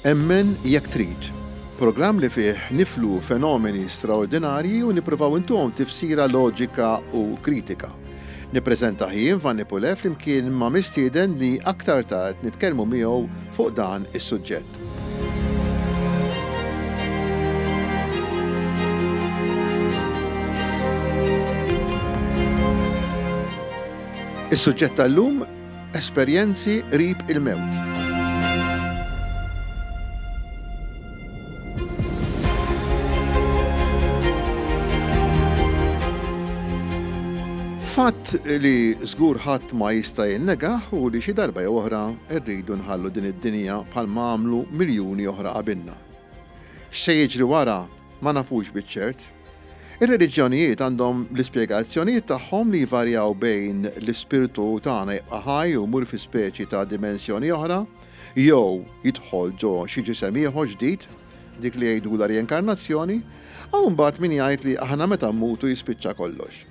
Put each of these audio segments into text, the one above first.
Emmen jekk trid. Programm li fih niflu fenomeni straordinarji u nippruvaw intuhom tifsira loġika u kritika. Nippreżentah jien Vanni Pulè flimkien ma' mistieden li aktar tard nitkellmu miegħu fuq dan is-suġġett. Is-suġġett tal-lum Esperjenzi qrib il-mewt. Fatt li żgur ħadd ma jista' jinnegah hu li xi darba jew oħra rridu nħallu din id-dinja bħalma għamlu miljuni oħra qabilna. X'se jiġri wara ma nafux biċ-ċert. Ir-reliġjonijiet għandhom l-ispjegazzjonijiet tagħhom li jvarjaw bejn l-ispirtu tagħna jibqa' ħaj u jmur fi speċi ta' dimensjoni oħra, jew jidħol ġo xi ġisem ieħor ġdid, dik li jgħidulha rienkarnazzjoni, hawn imbagħad min jgħid li aħna meta mmutu jispiċċa kollox.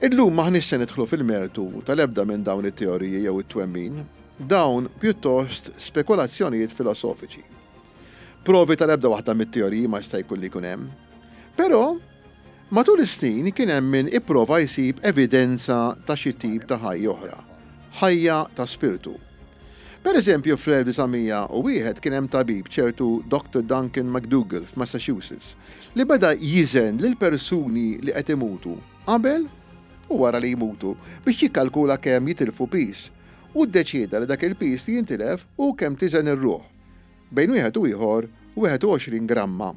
Illum m'aħniex se nidħlu fil-mertu tal-ebda minn dawn it-teoriji jew it-twemmin. Dawn pjuttost spekulazzjonijiet filosofiċi. Provi tal-ebda waħda mit-teoriji ma jista' jkun li jkun hemm. Però, matul is-snin kien hemm min ipprova jsib evidenza ta' xi tip ta' ħajja oħra, ħajja ta' spirtu. Per eżempju, fl-1901 kien hemm tabib ċertu Dr. Duncan McDougall f'Massachusetts li beda jiżen lil persuni li qed imutu qabel u wara li jmutu biex jikkalkula kemm jitilfu piż u ddeċieda li dak il-piż li jintilef hu kemm tiżen ir-ruħ. Bejn wieħed u ieħor 21 gramma.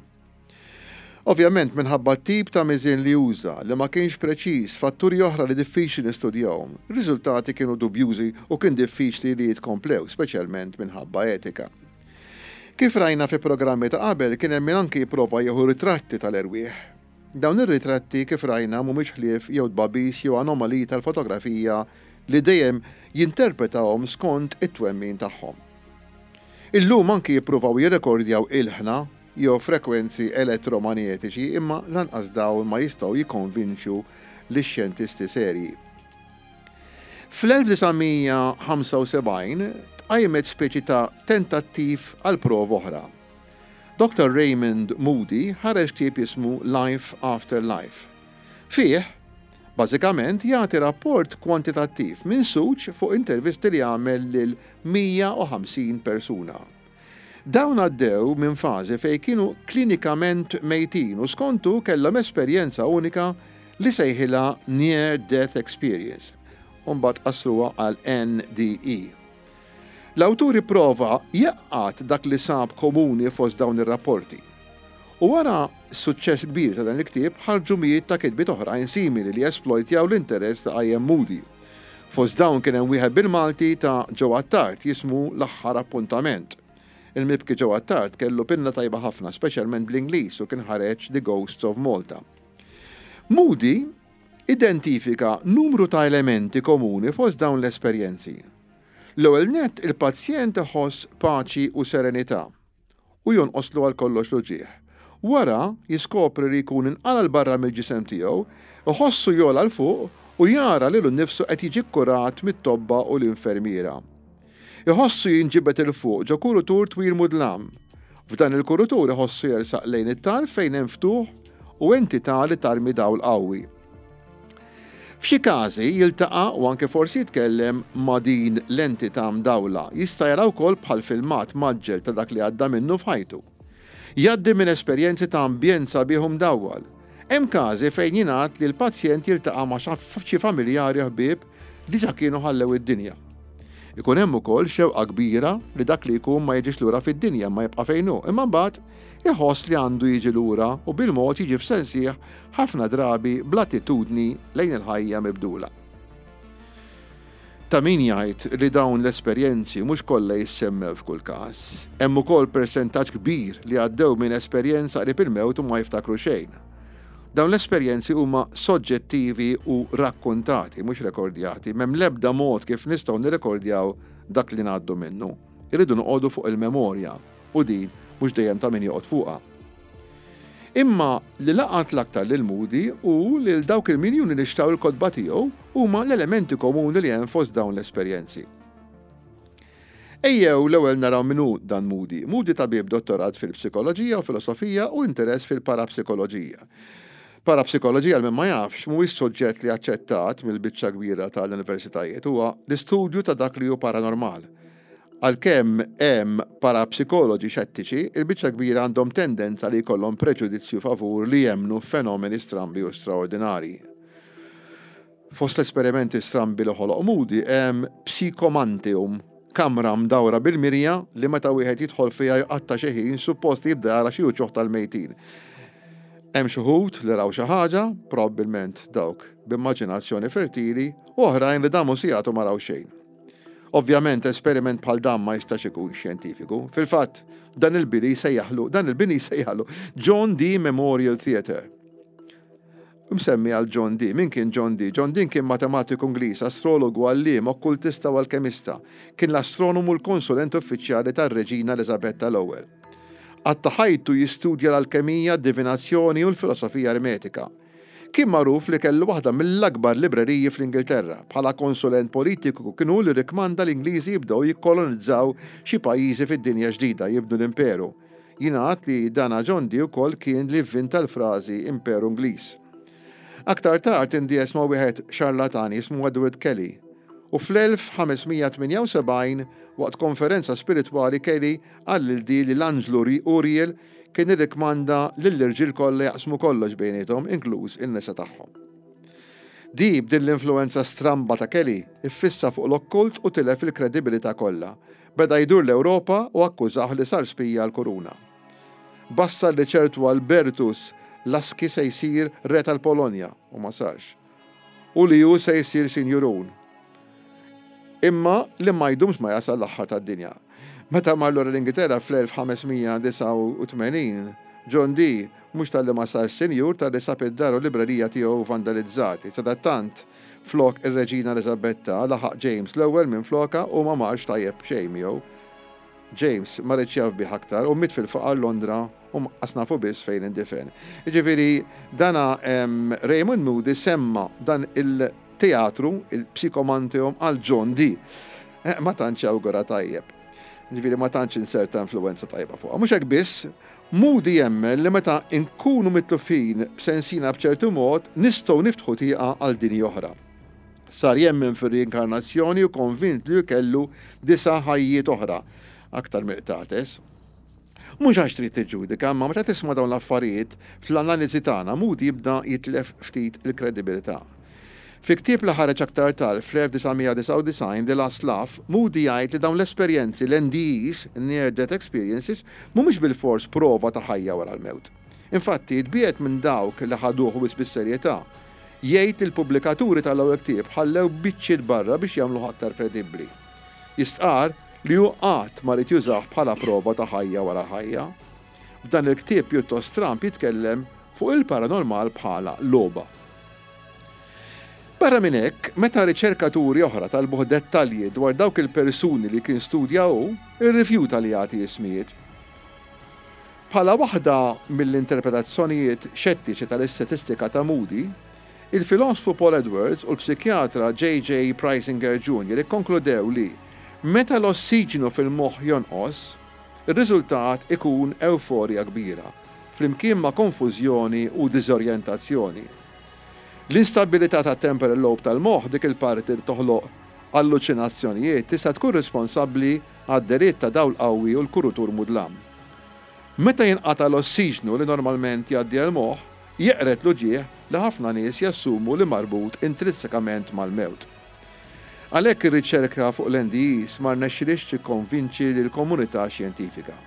Ovvjament minħabba t-tip ta' miżien li uża, li ma kienx preċiż, fatturi oħra li diffiċli nistudjahom, ir-riżultati kienu dubjużi u kien diffiċli li jitkomplew, speċjalment minħabba etika. Kif rajna fi programmi ta' qabel kien hemm min anki jipprova jieħu ritratti tal-erwieħ. Dawn ir-ritratti kif rajna mhumiex ħlief jew tbagħbis jew anomaliji tal-fotografija li dejjem jinterpretahom skont it-twemmin tagħhom. Illum anki jippruvaw jirrekordjaw ilħna jew frekwenzi elettromanjetiċi imma lanqas dawn ma jistgħu jikkonvinċu lix-xjentisti serji. Fl-1975 tqajmet speċi ta' tentattiv għal prova oħra. Dr. Raymond Moody ħareġ ktieb jismu Life After Life. Fih, bażikament jagħti rapport kwantitattiv minsuġ fuq intervisti li għamel lil 150 persuna. Dawn għaddew minn fażi fejn kienu klinikament mejtin u skontu kellhom esperjenza unika li sejħilha Near Death Experience u mbagħad qassruha għal NDE. L-awtur ipprova jgħaqqad dak li sab komuni fost dawn ir-rapporti. U wara s-suċċess kbir ta' dan il-ktieb ħarġu mijiet ta' kitbiet oħrajn simili li esplojtjaw l-interess li qajjem Moody. Fost dawn kien hemm wieħed bil-Malti ta' Joe Attard jismu L-Aħħar Appuntament. Il-mibki Joe Attard kellu pinna tajba ħafna, speċjalment bl-Ingliż u kien ħareġ The Ghosts of Malta. Moody identifika numru ta' elementi komuni fost dawn l-esperjenzi. L-ewwel nett il-pazjent iħoss paċi u serenità u jonqoslu għal kollox l-uġigħ. Wara jiskopri li jkun inqala' 'l barra mill-ġisem tiegħu, iħossu jogħla 'l fuq u jara lilu nnifsu qed jiġi kkurat mit-tobba u l-infermiera. Iħossu jinġibed 'il fuq ġo kurutur twil mudlam. F'dan il-kurutur iħossu jersaq lejn it-tarf fejn hemm ftuħ u entità li tarmi dawl qawwi. F'xi każi jiltaqa' u anke forsi jitkellem ma' din l-entità mdawla. Jista' jara wkoll bħal filmat mgħaġġel ta' dak li għadda minnu f'ħajtu. Jgħaddi minn esperjenzi ta' ambjent sabiħ u mdawwal. Hemm każi fejn jingħad li l-pazjent jiltaqa' ma' xi familjari u ħbieb li ġa kienu ħallew id-dinja. Ikun hemm ukoll xewqa kbira li dak li jkun ma jiġix lura fid-dinja imma jibqa' fejn hu, imma mbagħad iħoss li għandu jiġi lura u bil-mod jiġi f'sensih ħafna drabi bl-attitudni lejn il-ħajja mibdula. Ta' min jgħid li dawn l-esperjenzi mhux kollha jissemmew f'kull każ. Hemm ukoll persentaġġ kbir li għaddew minn esperjenza qrib il-mewt u ma jiftakru xejn. Dawn l-esperjenzi huma soġġettivi u rakkuntati, mhux rekordjati. M'hemm l-ebda mod kif nistgħu nirrekordjaw dak li ngħaddu minnu. Irridu noqogħdu fuq il-memorja u din mhux dejjem ta' min joqgħod fuqha. Imma li laqat l-aktar lil Moody u lil dawk il-miljuni li xtraw il-kotba tiegħu huma l-elementi komuni li hemm fost dawn l-esperjenzi. Ejjew l-ewwel naraw min hu dan Moody. Moody tabib dottorat fil-psikoloġija u filosofija u interess fil-parapsikoloġija. Parapsikoloġija għal min ma jafx mhuwiex suġġett li aċċettat mill-biċċa kbira tal-universitajiet, huwa l-istudju ta' dak li hu paranormal. Għalkemm hemm parapsikoloġi xettiċi, il-biċċa kbira għandhom tendenza li jkollhom preġudizzju favur li jemmnu f'fenomeni strambi u straordinarji. Fost l-esperimenti strambi li ħoloq Moody hemm psikomantium, kamra mdawra bil-mirja li meta wieħed jidħol fiha jqatta' xi ħin suppost jibda jara xi uċuħ tal-mejtin. Hemm xi wħud li raw xi ħaġa, probabbilment dawk b'immaġinazzjoni fertili, u oħrajn li damu sigħat u ma raw xejn. Ovvjament esperiment bħal dan ma jistax ikun xjentifiku. Fil-fatt, dan il-bini jsejjaħlu, dan il-bini jsejjaħlu John Dee Memorial Theatre. Msemmi għal John Dee. Min kien John Dee? John Dee kien matematiku Ingliż, astrologu, għalliem, okkultista u alkemista. Kien l-astronomu u l-konsulent uffiċjali tar-Reġina Eliżabetta l-Ewwel. Qatta' ħajtu jistudja l-alkemija, d-divinazzjoni u l-filosofija ermetika. Kien magħruf li kellu waħda mill-akbar libreriji fl-Ingilterra. Bħala konsulent politiku kien hu li rrikkmanda l-Ingliżi jibdew jikkolonizzaw xi pajjiżi fid-Dinja Ġdida, jibnu l-imperu. Jingħad li dana John Dee wkoll kien li vvinta l-frażi Imperu Ingliż. Aktar tard indies ma' wieħed xarlatan jismu Edward Kelly u fl-1578 waqt konferenza spiritwali Kelly qal lil Dee li l-anġlu Uriel Kien irrikkmanda lill-irġiel kollha jaqsmu kollox bejniethom, inkluż in-nisa tagħhom. Dee, b'din l-influwenza stramba ta' Kelly, iffissa fuq l-okkult u tilef il-kredibilità kollha. Beda jdur l-Ewropa u akkużah li sar spija għall-kuruna. Bassar li ċertu Albertus Laski se jsir re tal-Polonja, u ma sarx. U li hu se jsir sinjurun. Imma li ma jdumx ma jasal l-aħħar tad-dinja. Meta mar lura l-Ingilterra fl-1589, John Dee mhux talli ma sarx sinjur talli sab id-dar u l-librerija tiegħu vandalizzati. Sadattant, flok ir-Reġina Eliżabetta, laħaq James l-Ewwel minflokha u ma marx tajjeb xejn miegħu. James ma riedx jaf bih aktar u miet fil-faqar Londra u qas nafu biss fejn indifen. Jiġifieri dana Raymond Moody semma dan il- teatru, il-psikomanteum għal John Dee. Eh, ma tantx awgura tajjeb. Ġifieri ma tantx inserta influenza tajba fuqha. Mhux hekk biss, Moody jemmen li meta nkunu mitlufin b'sensina b'ċertu mod, nistgħu niftħu tieqa għal dinji oħra. Sar jemmen fir-riinkarnazzjoni u konvint li kellu disa' ħajjiet oħra, aktar mill-qtates. Mhux għax trid tiġġudika, imma meta tisma' dawn l-affarijiet, fl-analiżi tagħna Moody jibda jitlef ftit il-kredibilità. Fi ktieb li ħareġ aktar tard fl-1999, The Last Laugh, Moody jgħid li dawn l-esperjenzi, l-NDEs, Near Death Experiences, mhumiex bilfors prova ta' ħajja wara l-mewt. Infatti, tbiegħed minn dawk li ħaduh wisq bis-serjetà. Jgħid li l-pubblikaturi tal-ewwel ktieb ħallew biċċiet barra biex jagħmluh aktar kredibbli. Jistqarr li hu qatt ma ried jużah bħala prova ta' ħajja wara l-ħajja. F'dan il-ktieb pjuttost stramb jitkellem fuq il-paranormal bħala logħba. Barra minn hekk, meta riċerkaturi oħra talbuh dettalji dwar dawk il-persuni li kien studja hu, irrifjuta li jagħti ismijiet. Bħala waħda mill-interpretazzjonijiet xettiċi tal-istatistika ta' Moody, Il-filosfu Paul Edwards u l-psikjatra J. J. Preisinger Junior ikkonkludew li meta l-ossiġnu fil-moħħ jonqos, ir-riżultat ikun ewforja kbira, flimkien ma' konfużjoni u diżorjentazzjoni. L-instabbilità tat-temporal lobe tal-moħħ, dik il-parti li toħloq alluċinazzjonijiet, tista' tkun responsabbli għad-dehriet ta' dawl qawwi u l-kurutur mudlam. Meta jinqata' l-ossiġnu li normalment jgħaddi għall-moħħ, jeqred l-uġigħ li ħafna nies jassumu li marbut intrinsikament mal-mewt. Għalhekk ir-riċerka fuq l-NDEs ma rnexxilhiex tikkonvinċi lill-komunità xjentifika.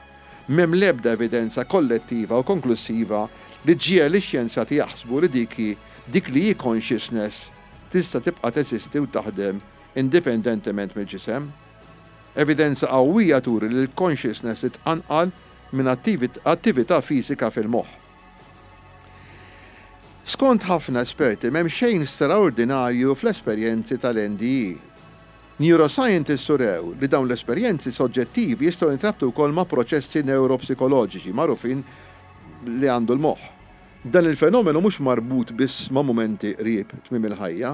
M'hemm l-ebda evidenza kollettiva u konklussiva li ġġiegħel lix-xjenzati jaħsbu li dik hi dik li hi consciousness tista' tibqa' teżisti u taħdem indipendentement mill-ġisem. Evidenza qawwija turi li l-consciousness titqanqal minn attività fiżika fil-moħħ. Skont ħafna esperti m'hemm xejn straordinarju fl-esperjenzi tal-NDE. Neuroscientists urew li dawn l-esperjenzi soġġettivi jistgħu jintrabtu wkoll ma' proċessi newropsikoloġiċi magħrufin li għandu l-moħħ. Dan il-fenomenu mhux marbut biss ma' mumenti qrib tmiem il-ħajja.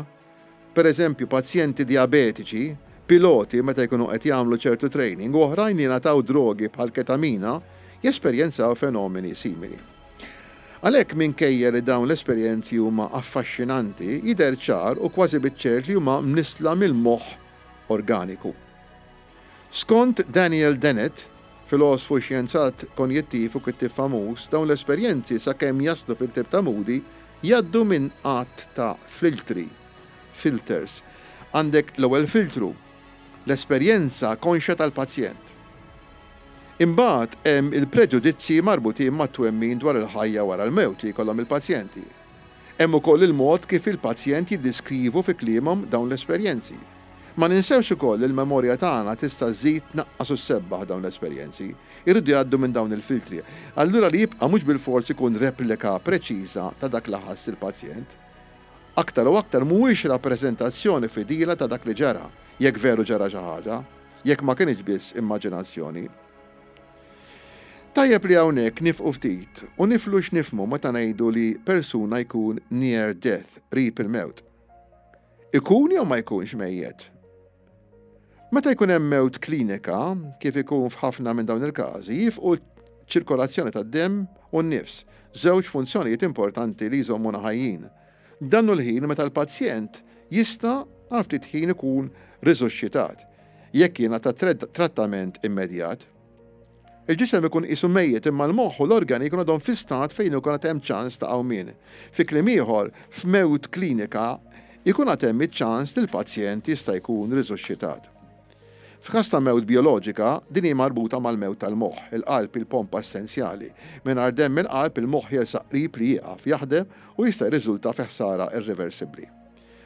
Pereżempju, pazjenti dijabetiċi Piloti meta jkunu qed jagħmlu ċertu training u oħrajn li jingħataw drogi bħal ketamina jesperjenzaw fenomeni simili. Għalhekk minkejja li dawn l-esperjenzi huma affaxxinanti, jidher ċar u kważi biċ-ċert li huma mnissla mill-moħħ organiku. Skont Daniel Dennett, filosfu, xjenzat konjittiv u kittieb famuż, dawn l-esperjenzi sakemm jaslu fil-ktieb ta' Moody jgħaddu minn għadd ta' filtri, filters. Għandek l-ewwel filtru, l-esperjenza konxja tal-pazjent. Imbagħad hemm il-preġudizzji marbutin mat-twemmin dwar il-ħajja wara l-mewt li jkollhom il-pazjenti. Hemm ukoll il-mod kif il-pazjent jiddiskrivu fi kliemhom dawn l-esperjenzi. Ma ninsewx ukoll li l-memorja tagħna tista' żżid, tnaqqas u ssebbaħ dawn l-esperjenzi. Iridu jgħaddu minn dawn il-filtri. Allura li jibqa' mhux bilfors ikun replika preċiża ta' dak li ħass il-pazjent. Aktar u aktar mhuwiex rappreżentazzjoni fidila ta' dak li ġara, jekk veru ġara xi ħaġa, jekk ma kinitx biss immaġinazzjoni. Tajjeb li hawnhekk nifqu ftit u niflu x'nifhmu meta ngħidu li persuna jkun near death, qrib il-mewt. Ikun jew ma jkunx mejjet? Meta jkun hemm mewt klinika, kif ikun f'ħafna minn dawn il-każi, jifqu ċ-ċirkolazzjoni tad-demm u n-nifs, żewġ funzjonijiet importanti li jżommuna ħajjin. Dan hu l-ħin meta l-pazjent jista' għal ftit ħin ikun riżuxxitat, jekk jingħata trattament immedjat. Il-ġisem ikun qisu mejjet imma l-moħħ u l-organi jkunu għadhom fi stat fejn ikun għad hemm ċans ta' qawmien. Fi kliem ieħor, f'mewt klinika jkun għad hemm iċ-ċans li l-pazjent jista' jkun riżuxxitat. F'każ ta' mewt bijoloġika, din hi marbuta mal-mewt tal-moħħ. Il-qalb hi l-pompa essenzjali. Mingħajr demm mill-qalb, il-moħħ jersaq qrib li jieqaf jaħdem u jista' jirriżulta fi ħsara irriversibbli.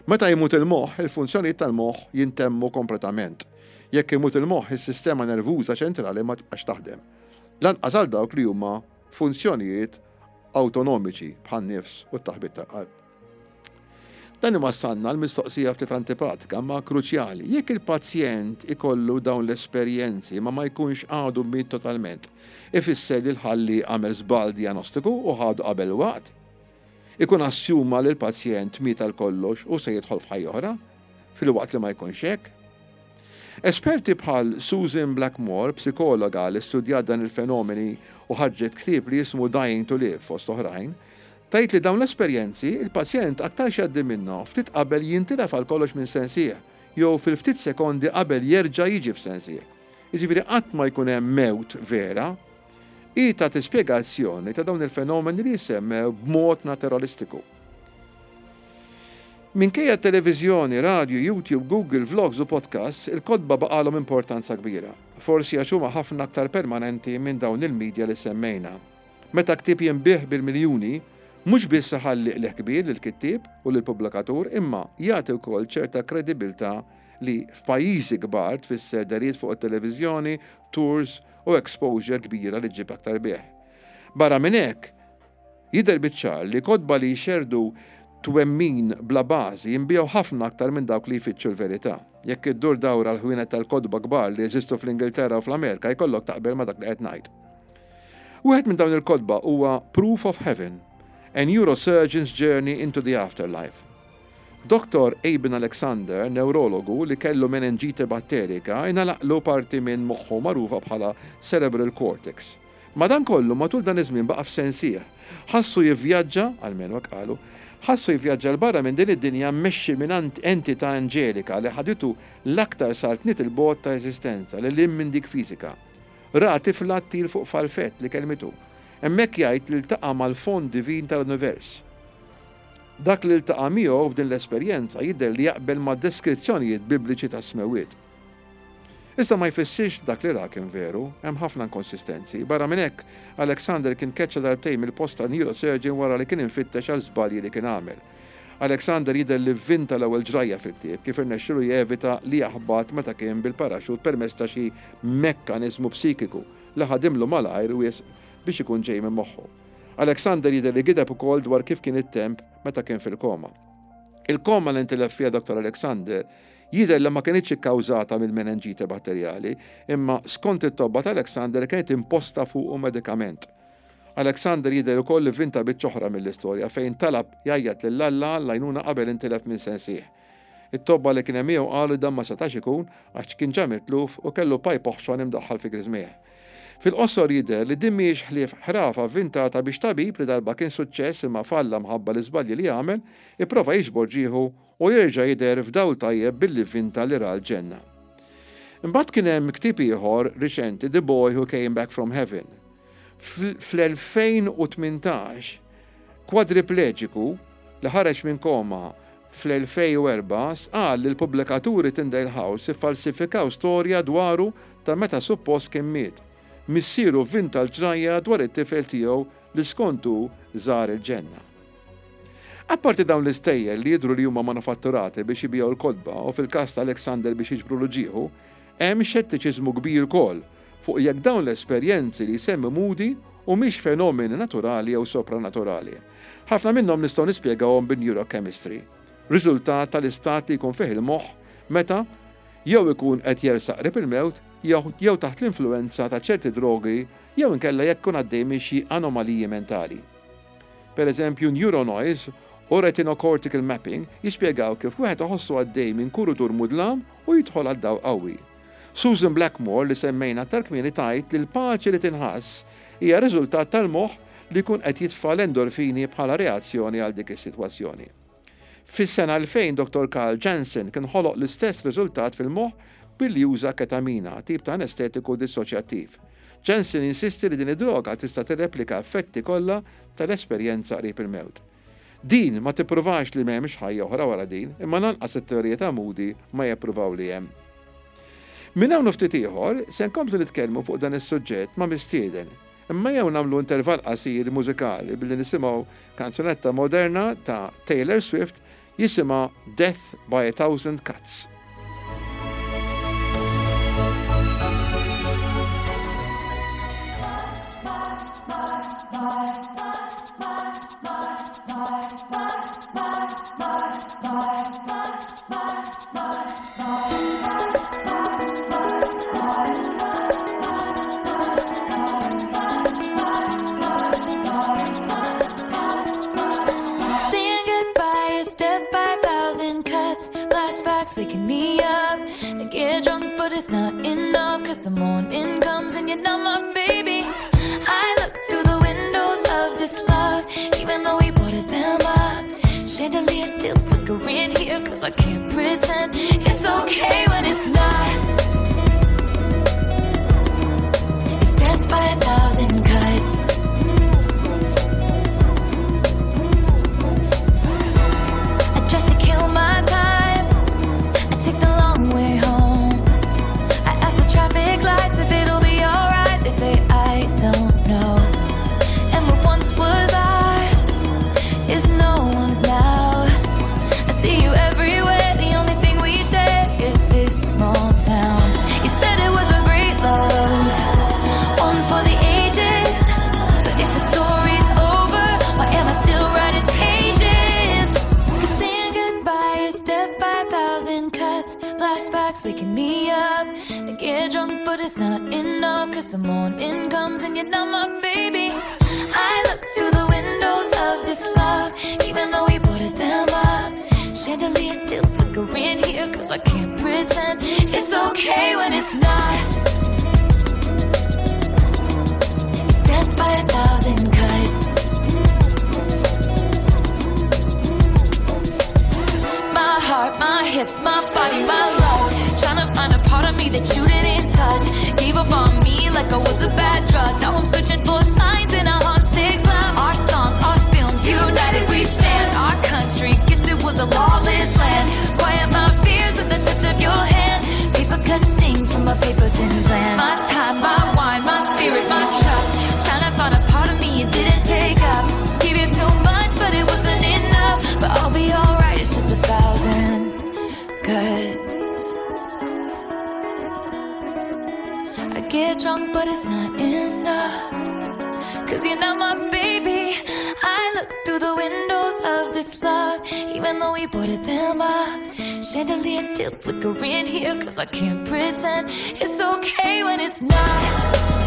Meta jmut il-moħħ, il-funzjonijiet tal-moħħ jintemmu kompletament. Jekk imut il-moħħ, is-sistema nervuża ċentrali ma tibqax taħdem. Lanqas għal dawk li huma funzjonijiet awtonomiċi bħan-nifs u t-taħbit tal-qalb. Dan iwassalna għal mistoqsija ftit antipatika imma kruċjali. Jekk il-pazjent ikollu dawn l-esperjenzi ma ma jkunx għadu miet totalment, ifisser li l-ħalli għamel żball dijanostiku u ħadu qabel waqt? Ikun assuma li l-pazjent miet għal kollox u se jidħol f'ħajja oħra, filwaqt li ma jkunx hekk. Esperti bħal Susan Blackmore, psikologa li studjat dan il-fenomeni u ħarġet ktieb li jismu Dying to Live fost oħrajn, tgħid li dawn l-esperjenzi il-pazjent aktarx jgħaddi minnhom ftit qabel jintilef għal kollox minn sensih jew fil-ftit sekondi qabel jerġa' jiġi f'sensih. Jiġifieri qatt ma jkun hemm mewt vera. Hi tagħti spjegazzjoni ta' dawn il-fenomeni li jissemmew b'mod naturalistiku. Minkejja t-televiżjoni, radju, YouTube, Google, vlogs u podcasts, il-kotba baqgħalhom importanza kbira. Forsi għax huma ħafna aktar permanenti minn dawn il-media li semmejna. Meta ktieb jinbiegħ bil-miljuni, mhux biss iħalli qligħ kbir lill-kittieb u lill-pubblikatur imma jagħti wkoll ċerta kredibilità li f'pajjiżi kbar tfisser dehriet fuq it-televiżjoni, tours u exposure kbira li ġġib aktar bigħ. Barra minn hekk, jidher biċ-ċar li kotba li jxerrdu twemmin bla bażi jinbiegħu ħafna aktar minn dawk li jfittxu l-verità. Jekk iddur dawra l-ħwienet tal-kotba kbar li jeżistu fl-Ingilterra u fl-Amerika jkollok taqbel ma' dak li qed ngħid. Wieħed minn dawn il-kotba huwa Proof of Heaven, A Neurosurgeon's Journey into the Afterlife. Dottor Eben Alexander, newrologu li kellu menenġite batterika, ingħalaqlu parti minn moħħu magħrufa bħala cerebral cortex. Madankollu, matul dan iż-żmien baqa' f'sensih. Ħassu jivvjaġġa, almenu hekk qalu, ħassu jivvjaġġa 'l barra minn din id-dinja mmexxi minn entità anġelika li ħaditu l-aktar saltniet 'il bogħod ta' eżistenza, lil hinn minn dik fiżika. Ra tifla ttir fuq falfett li kellmitu. Hemmhekk jgħid li ltaqa' mal-fond divin tal-univers. Dak li ltaqa' miegħu f'din l-esperjenza jidher li jaqbel ma' deskrizzjonijiet Bibliċi tas-smewwiet. Iżda ma jfissirx li dak li ra kien veru, hemm ħafna inkonsistenzi. Barra minn hekk, Alexander kien tkeċċa darbtejn mill-post ta' neurosurgeon wara li kien imfittex għal żbalji li kien għamel. Alexander jidher li vvinta l-ewwel ġrajja fil-ktieb, kif irnexxielu jevita li jaħbat meta kien bil-paraxut permezz ta' xi mekkaniżmu psikiku li ħadimlu malajr wisq biex ikun ġej minn moħħu. Alexander jidher li gideb ukoll dwar kif kien it-temp meta kien fil-koma. Il-koma li ntilef fiha Dottor Alexander jidher li ma kinitx ikkawżata mill-menenġite batterjali, imma skont it-tobba ta' Alexander kienet imposta fuqu medikament. Alexander jidher ukoll li vvinta biċċa oħra mill-istorja fejn talab jgħajjat lil Alla għall-għajnuna qabel intilef minn sensih. It-tobba li kien hemm miegħu qalu li dan ma setax ikun għax kien ġa mitluf u kellu pajp oħxon imdaħħal fi griżmejh. Fil-qosor jidher li din mhijiex ħlief ħrafa vvintata biex tabib li darba kien suċċess imma falla mħabba l-iżbalji li għamel, ipprova jiġbor ġieħu u jerġa' jidher f'dawl tajjeb billi vvinta li ra l-ġenna. Imbagħad kien hemm ktieb ieħor riċenti The Boy Who Came Back From Heaven. Fl-2018, kwadripleġiku li ħareġ minn koma fl-2004 stqarr li l-pubblikaturi Tyndale House iffalsifikaw storja dwaru ta' meta suppost kien miet. Missieru vvinta l-ġrajja dwar it-tifel tiegħu li skont hu żar il-ġenna. Apparti dawn l-istejjer li jidhru li huma manufatturati biex ibigħu l-kotba u fil-każ ta' Alexander biex jiġbrulu ġieħu, hemm xettiċiżmu kbir ukoll fuq jekk dawn l-esperjenzi li jsemmi Moody humiex fenomeni naturali jew sopranaturali. Ħafna minnhom nistgħu nispjegawhom bin-neurochemistry, riżultat tal-istat li jkun fih il-moħħ meta jew ikun qed jersaq qrib il-mewt jew taħt l-influwenza ta' ċerti drogi jew inkella jekk ikun għaddej minn xi anomaliji mentali. Per eżempju, neuronoise u retinocortical mapping jispjegaw kif wieħed iħossu għaddej minn kurutur mudlam u jidħol għal dawl qawwi. Susan Blackmore li semmejna aktar kmieni tgħid li l-paċi li tinħass hija riżultat tal-moħħ li jkun qed jitfa' l-endorfini bħala reazzjoni għal dik is-sitwazzjoni. Fis-sena 2000 Dottor Karl Jansen kien ħoloq l-istess riżultat fil-moħħ billi uża ketamina, tip ta' anestetiku dissoċjattiv. Jansen jinsisti li din id-droga tista' tirreplika effetti kollha tal-esperjenza qrib il-mewt. Din ma tippruvax li m'hemmx ħajja oħra wara din, imma lanqas it-teorija ta' Moody ma jippruvaw li hemm. Minn hawn u ftit ieħor se nkomplu nitkellmu fuq dan is-suġġett ma' mistieden. Imma ejjew nagħmlu intervall qasir mużikali billi nisimgħu kanzunetta moderna ta' Taylor Swift jisimha Death by a Thousand Cuts. Saying goodbye is death by a thousand cuts. Flashbacks waking me up. I get drunk, but it's not enough. Cause the morning comes and you're not my baby. I look through the windows of this love, even though we boarded them up. Chandelier still flickering here, cause I can't pretend it's okay when it's not. It's death by a thousand cuts. I dress to kill my time. I take the long way home. I ask the traffic lights if it'll be alright. They say I don't know. And what once was ours is no one's now. I see you everywhere. The only thing we share is this small town. You said it was a great love, one for the ages. But if the story's over, why am I still writing pages? Cause saying goodbye is death by a thousand cuts. Flashbacks waking me up. I get drunk, but it's not enough. Cause the morning comes and you're not my baby. I look through the windows of this love, even though we boarded them up. Chandelier still flickering here, cause I can't pretend it's okay when it's not. It's death by a thousand cuts. My heart, my hips, my body, my love. Tryna find a part of me that you didn't touch. Gave up on me like I was a bad drug. Now I'm searching for signs in a haunted club. Our songs, our films, united we stand. Our country, guess it was a lawless land. Quiet my fears with the touch of your hand. Paper cut stings from a paper thin plan. My time, my wine, my spirit, my trust. Tryna find a part of me you didn't take up. Give you too much, but it wasn't enough. But I'll be alright, it's just a thousand cuts. I get drunk, but it's not enough. Cause you're not my baby. I look through the windows of this love, even though we boarded them up. Chandelier still flickering here, cause I can't pretend it's okay when it's not.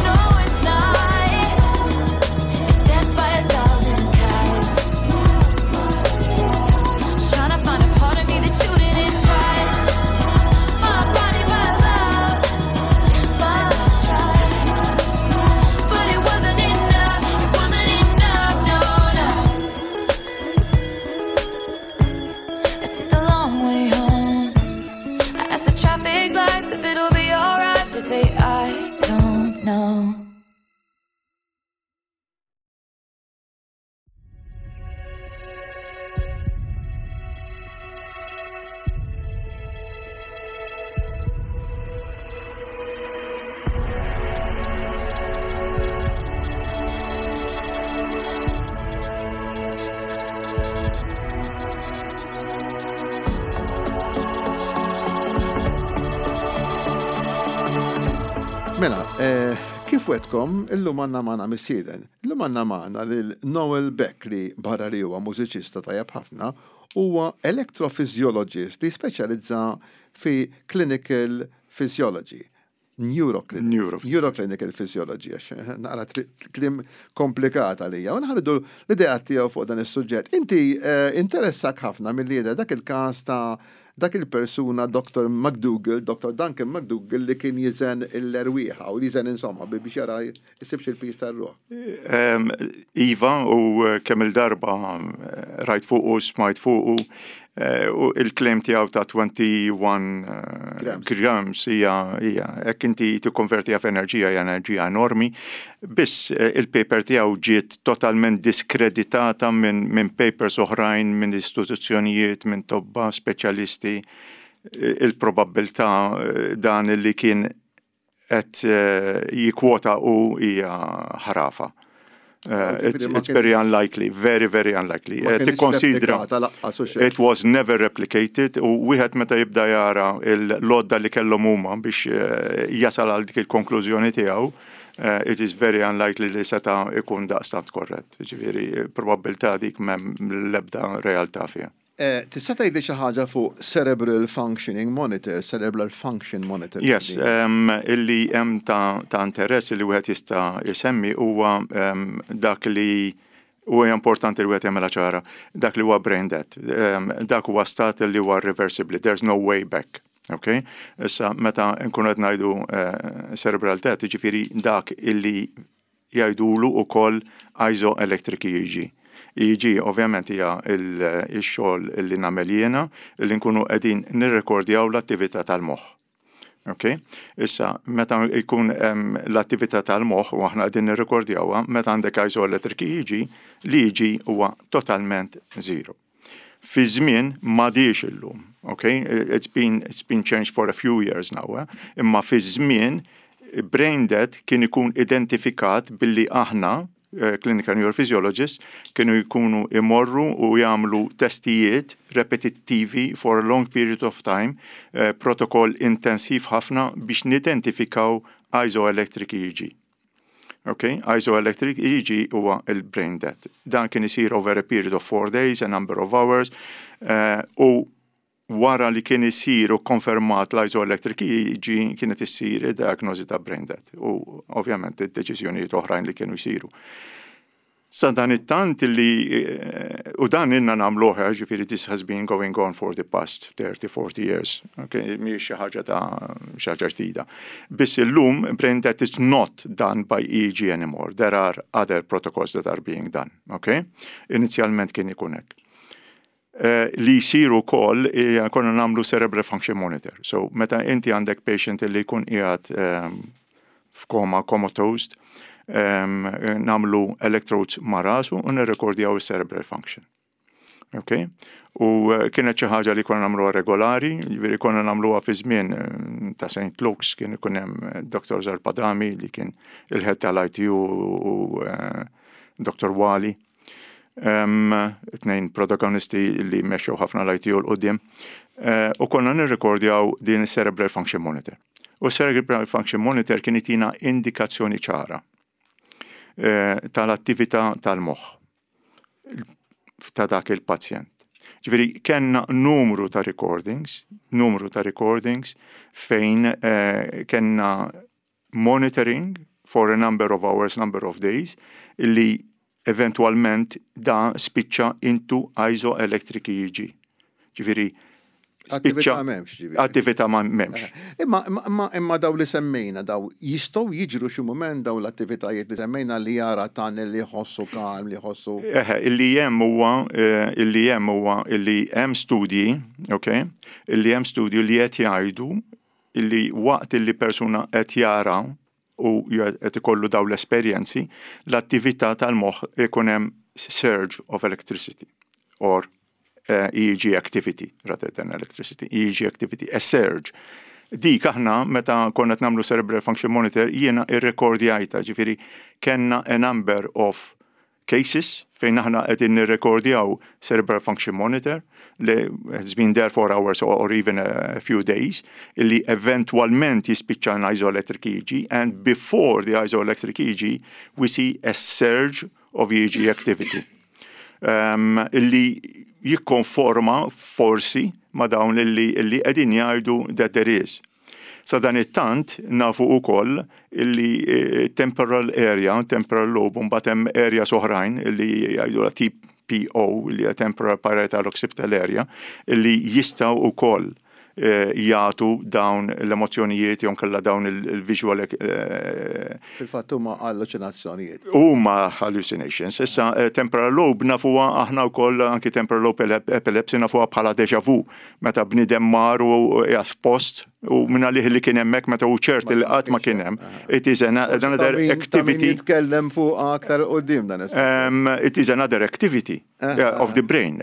No, it's not. It's death by a thousand cuts. Tryna find a part of me that you didn't touch. Mela, eh, kif wetkom, illum għanna maħna missieden. Illum għanna maħna lil Noel Beck li barra li huwa mużiċista tajjeb ħafna, huwa electrophysiologist li speċjalizza fi clinical physiology. Neuroclinical. Neuroclinical physiology, għax eh, naqra kliem komplikata li U nħardu l-idea tiegħu fuq dan is-suġġett. Inti eh, interessak ħafna mill dak il-każ ta' dak il-persuna Dr. McDougall, Dr. Duncan McDougall li kien jiżen l-erwieħa u jiżen insomma biex jara jsibx il-piż tar-ruħ. Iva, u eh, kemm il-darba eh, rajt fuqu, smajt fuqu, eh, u il-claim tiegħu ta' 21 grams hija hija hekk inti tikkonvertiha f'enerġija hija enerġija enormi. Biss il-paper tiegħu ġiet totalment diskreditata minn min papers oħrajn, minn istituzzjonijiet, minn tobba speċjalisti. Il-probabbiltà dan li kien qed jikkwota u hija ħrafa. It's very unlikely, very, very unlikely. Tikkonsidra. It was never replicated u wieħed meta jibda jara l-għodda li kellhom huma biex jasal għal dik il-konklużjoni tiegħu, it is very unlikely li seta' ikun daqstant korrett. Ġifieri, probabbiltà dik m'hemm l-ebda realtà fiha. Tista' tgħidli xi ħaġa fuq cerebral functioning monitor, cerebral function monitor? Yes, illi hemm ta' interess li wieħed jista' jsemmi huwa dak li huwa importanti li wieħed jagħmilha ċara, dak li huwa brain death. Dak huwa stat li huwa irreversibbli, there's no way back. Okay? Issa meta nkunu qed ngħidu cerebral death, jiġifieri dak illi jgħidulu wkoll isoelectric EEG. EEG ovvjament hija x-xogħol li nagħmel jiena li nkunu qegħdin nirrekordjaw l-attività tal-moħħ. Ok? Issa, meta jkun l-attività tal-moħħ u aħna qegħdin nirrekordjawha, meta għandek isoelectric EEG, l-EEG huwa totalment zero. Fi żmien m'għadix illum, ok? It's been changed for a few years now, eh? Imma fi żmien brain death kien ikun identifikat billi aħna, clinical neurophysiologists, kienu jkunu imorru u jagħmlu testijiet repetittivi for a long period of time, protokoll intensiv ħafna biex nidentifikaw isoelectric EEG. Ok, isoelectric EEG huwa il-brain death. Dan kien isir over a period of 4 days, a number of hours, u wara li kien isir u konfermat l-isoelectric EEG kienet issir id-diagnosi ta' brain death u ovvjament id-deċiżjonijiet oħrajn li kienu jsiru. Sa dan it-tant li, u dan ilna nagħmluh, ġifieri this has been going on for the past 30-40 years, okay, mhijiex xi ħaġa ta' xi ħaġa ġdida. Biss illum brain death is not done by EEG anymore. There are other protocols that are being done, okay? Inizjalment kien ikun hekk. Li jsiru wkoll konna nagħmlu cerebral function monitor. So meta inti għandek patient li jkun qiegħed f'koma, comatosed, nagħmlu electrodes ma' rasu u nirrekordjaw il-cerebral function. Ok? U kienet xi ħaġa li konna nagħmluha regolari, ġifieri konna nagħmluha fi żmien ta' St. Luke's, kien ikun hemm Dr. Zarpadami li kien il-head tal-ITU u Dr. Wali. Tnejn protagonisti li mexxew ħafna l-ITU 'l quddiem. U konna nirrekordjaw din il-Cerebral Function Monitor. U Cerebral Function Monitor kien itina indikazzjoni ċara tal-attività tal-moħħ ta' dak il-pazjent. Ġifieri, kellna numru ta' recordings, numru ta' recordings fejn kellna monitoring for a number of hours, number of days, illi eventualment da spiċċa into isoelectric EEG. Ġifieri, spiċċa Attività m'hemmx, ġifieri. Attività ma m'hemmx. Imma daw li semmejna, daw jistgħu jiġru xi mument daw l-attivitajiet li semmejna li jara tan li jħossu kalm, li jħossu. Eħe, illi hemm huwa illi hemm studji, ok, illi hemm studju li qed jgħidu illi waqt illi persuna qed jara u qed ikollu daw l-esperjenzi, l-attività tal-moħħ ikun hemm surge of electricity or EEG activity rather than electricity, EEG activity, a surge. Dik aħna meta konna qed nagħmlu cerebral function monitor jiena irrekordjajta, ġifieri kellna a number of cases fejn aħna qegħdin nirrekordjaw cerebral function monitor li has been there for hours or even a few days, illi eventwalment jispiċċa an isoelectric EEG, and before the isoelectric EEG we see a surge of EEG activity. Um, illi jikkonforma forsi ma dawn illi illi qegħdin jgħidu that there is. Sadanittant nafu ukoll illi eh, temporal area, temporal lobe, mbagħad hemm areas oħrajn illi jgħidu TPO, li hija temporal parietal occipital area, illi jistgħu ukoll eh, jagħtu dawn l-emozzjonijiet jew kellha dawn il-visual. Eh, Fil-fatt huma alluċinazzjonijiet. Huma hallucinations. Issa eh, temporal lobe nafuha aħna wkoll anki temporal lobe epilepsy nafuha bħala deja vu meta bniedem mar u qiegħed f'post u minn għalih li kien hemmhekk meta hu ċert li qatt ma kien hemm. It is another activity. Nitkellem fuq aktar quddiem dan. It is another activity of the brain.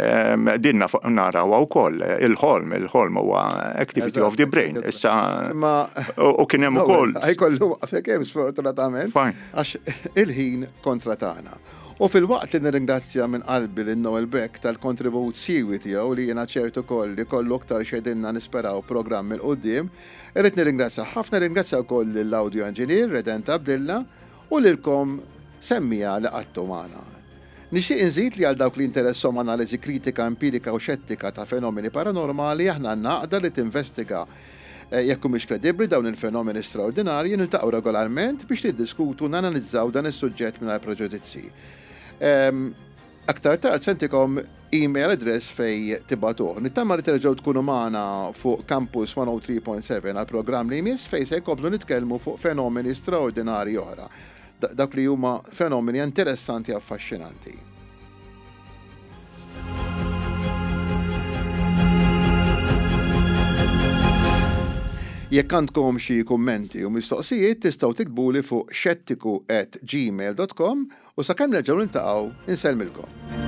Din narawha wkoll il-ħolm, il-ħolm huwa activity of the brain. Issa u kien hemm ukoll. Ħajkollu waqfek hemm sfortunatament. Għax il-ħin kontra tagħna. U filwaqt li nirringrazzja minn qalbi lil Noel Beck tal-kontribut siewi tiegħu li jiena ċert ukoll li kollu aktar x'jgħidilna nisperaw programm 'il quddiem, irrid nirringrazzjah ħafna, nirringrazzja wkoll lill-audio engineer Redent Abdilla u lilkom semmiegħa li qgħadtu magħna. Nixtieq inżid li għal dawk li jinteresshom analiżi kritika, empirika u xettika ta' fenomeni paranormali aħna għandna għaqda li tinvestiga Jekk humiex kredibbli dawn il-fenomeni straordinarji, niltaqgħu regolarment biex niddiskutu u nanalizzaw dan is-suġġett mingħajr preġudizzji. Aktar tard se ntikom email address fejn tibagħtuh. Nittama li terġgħu tkunu magħna fuq Campus 103.7 għall-programm li jmiss fejn se nkomplu nitkellmu fuq fenomeni straordinarji oħra. Dawk li huma fenomeni interessanti affaxxinanti. Jekk għandkom xi kummenti u mistoqsijiet tistgħu tiktbuli fuq xettiku@gmail.com u sakemm nerġgħu niltaqgħu insellmilkom.